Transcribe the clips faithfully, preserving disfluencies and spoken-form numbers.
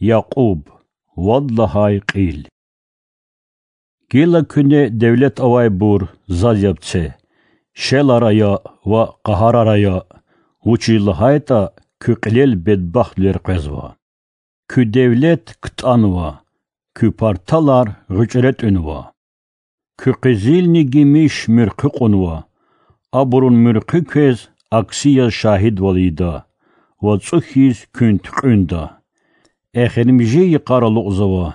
Якьуб. Вад лагьай кьил. Гила куьне девлет авайбур, заз яб це, шелар ая ва къагьарар ая, вучиз лагьайтӀа куь кьилел бедбахтвилер къвезва. Куь девлет ктӀанва, куь парталар гъуьчӀре тӀуьнва. Куь къизилни гимиш муьрхъуь кьунва, абурун муьрхъуь квез акси яз шагьидвал ийида ва цӀу хьиз куьн туькьуьнда. Эхиримжи йикъар алукьзава,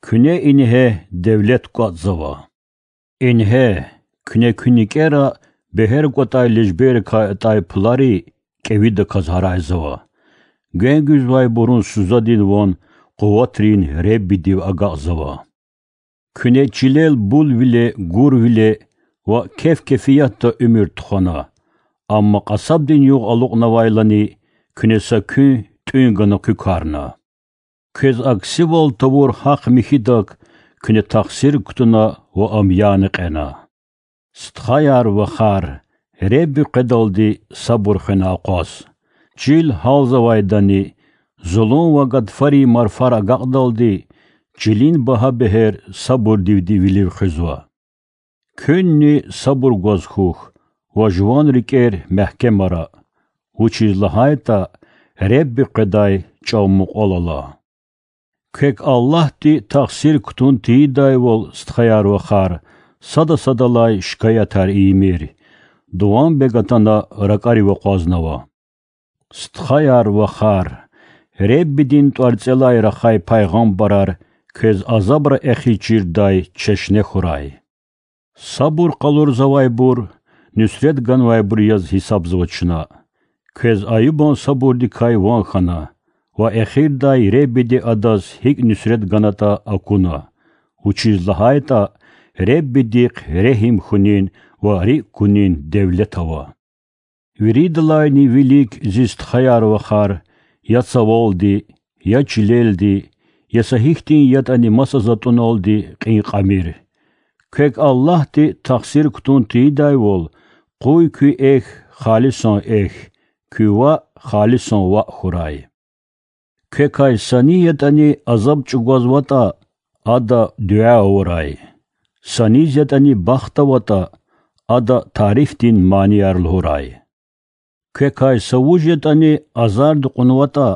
куьне ингье девлет кӀватӀзава. Ингье, куьне куь никӀера бегьер кӀватӀай лежберрикай атӀай пулари кӀевидаказ гьарайзава. Гвен гуьзвайбурун сузадин ван къуватрин Реббидив агакьзава. Куьне чилел булвиле, гурвиле ва кеф-кефиятда уьмуьр тухвана, амма кьасабдин югъ алукьнавайлани куьне са куьн тӀуьн гана куь карна. Квез аксивал тавур гьахъ михьидак куьне тахсир кутуна ва ам яна кьена. Стхаяр-вахар, Ребби къведалди сабур хвена акъваз. Чил гьалзавайдани, зулун ва гатфарин марфар агакьдалди, чилин багьа бегьер сабурдивди вилив хуьзва. Куьнни сабур гваз хьухь ва жуван рикӀер мягькемара, вучиз лагьайтӀа Ребби къведай чӀав мукьвал ала. Квек Аллагьди тахсир кутун тийидайвал, стхаяр-вахар, сада садалай шикаятар ийимир, дуванбег атана ракӀарив акъвазнава. Стхаяр-вахар, Реббидин тӀварцӀелай рахай пайгъамбарар квез азабра эхиз чирдай чешне хьурай. Сабур къалурзавайбур нуьсрет ганвайбур яз гьисабзава чна. Квез Аюбан сабурдикай ван хьана ва эхирдай Реббиди адаз гьикӀ нуьсрет ганатӀа акуна, вучиз лагьайтӀа Реббидихъ регьим хьунин ва рикӀ кунин девлет ава. Виридалайни вилик, зи стхаяр-вахар, я цавалди, я чилелди, я са гьихьтин ятӀани маса затӀуналди кьин кьамир. Квек Аллагьди тахсир кутун тийидайвал, къуй куь эхь халисан эхь, куь ваъ халисан ваъ хьурай. Квекай са ни ятӀани азаб чӀугвазватӀа, ада дуьа авурай. Са низ ятӀани бахт аватӀа, ада тарифдин манияр лугьурай. Квекай са вуж ятӀани азарди кьунватӀа,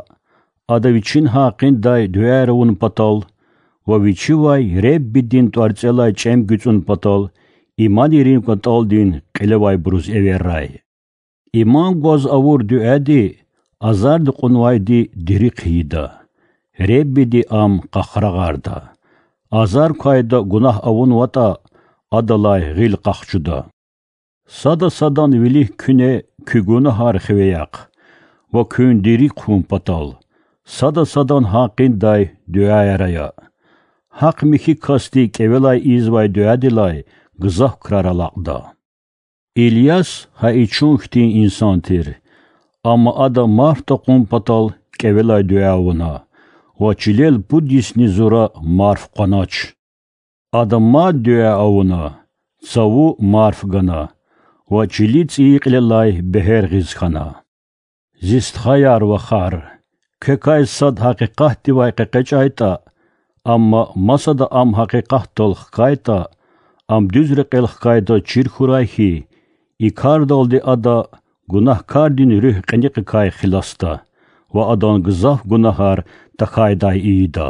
ада вичин гьакъиндай дуьаяр авун патал ва вичивай Реббидин тӀварцӀелай чӀем гуьцӀун патал иманрин кӀватӀалдин кьилевайбуруз эверрай. Иман гваз авур дуьади азарди кьунвайди дири хъийида, Реббиди ам къахрагъарда. Азар квайда гунагь авунватӀа, адалай гъил къахчуда. Сада садан вилик куьне куь гунагьар хиве яхъ ва куьн дири хъун патал, сада садан гьакъиндай дуьаяр ая. Гьахъ михьи касди кӀевелай ийизвай дуьадилай гзаф крар алакьда. Ильяс гьа и чун хьтин инсан тир, амма ада марф такьун патал кӀевелай дуьа авуна ва чилел пуд йисни зура марф къванач. Ада мад дуьа авуна, цаву марф гана ва чили цӀийи кьилелай бегьер гъиз хьана. Зи стхаяр-вахар, квекай сад гьакъикъатдивай къекъечӀайтӀа, амма масада ам гьакъикъатдал хкайтӀа, ам дуьз рекьел хкайдаз чир хьурай хьи, и кардалди ада гунагькардин руьгь кьиникьикай хиласда ва адан гзаф гунагьар тахьайдай ийида.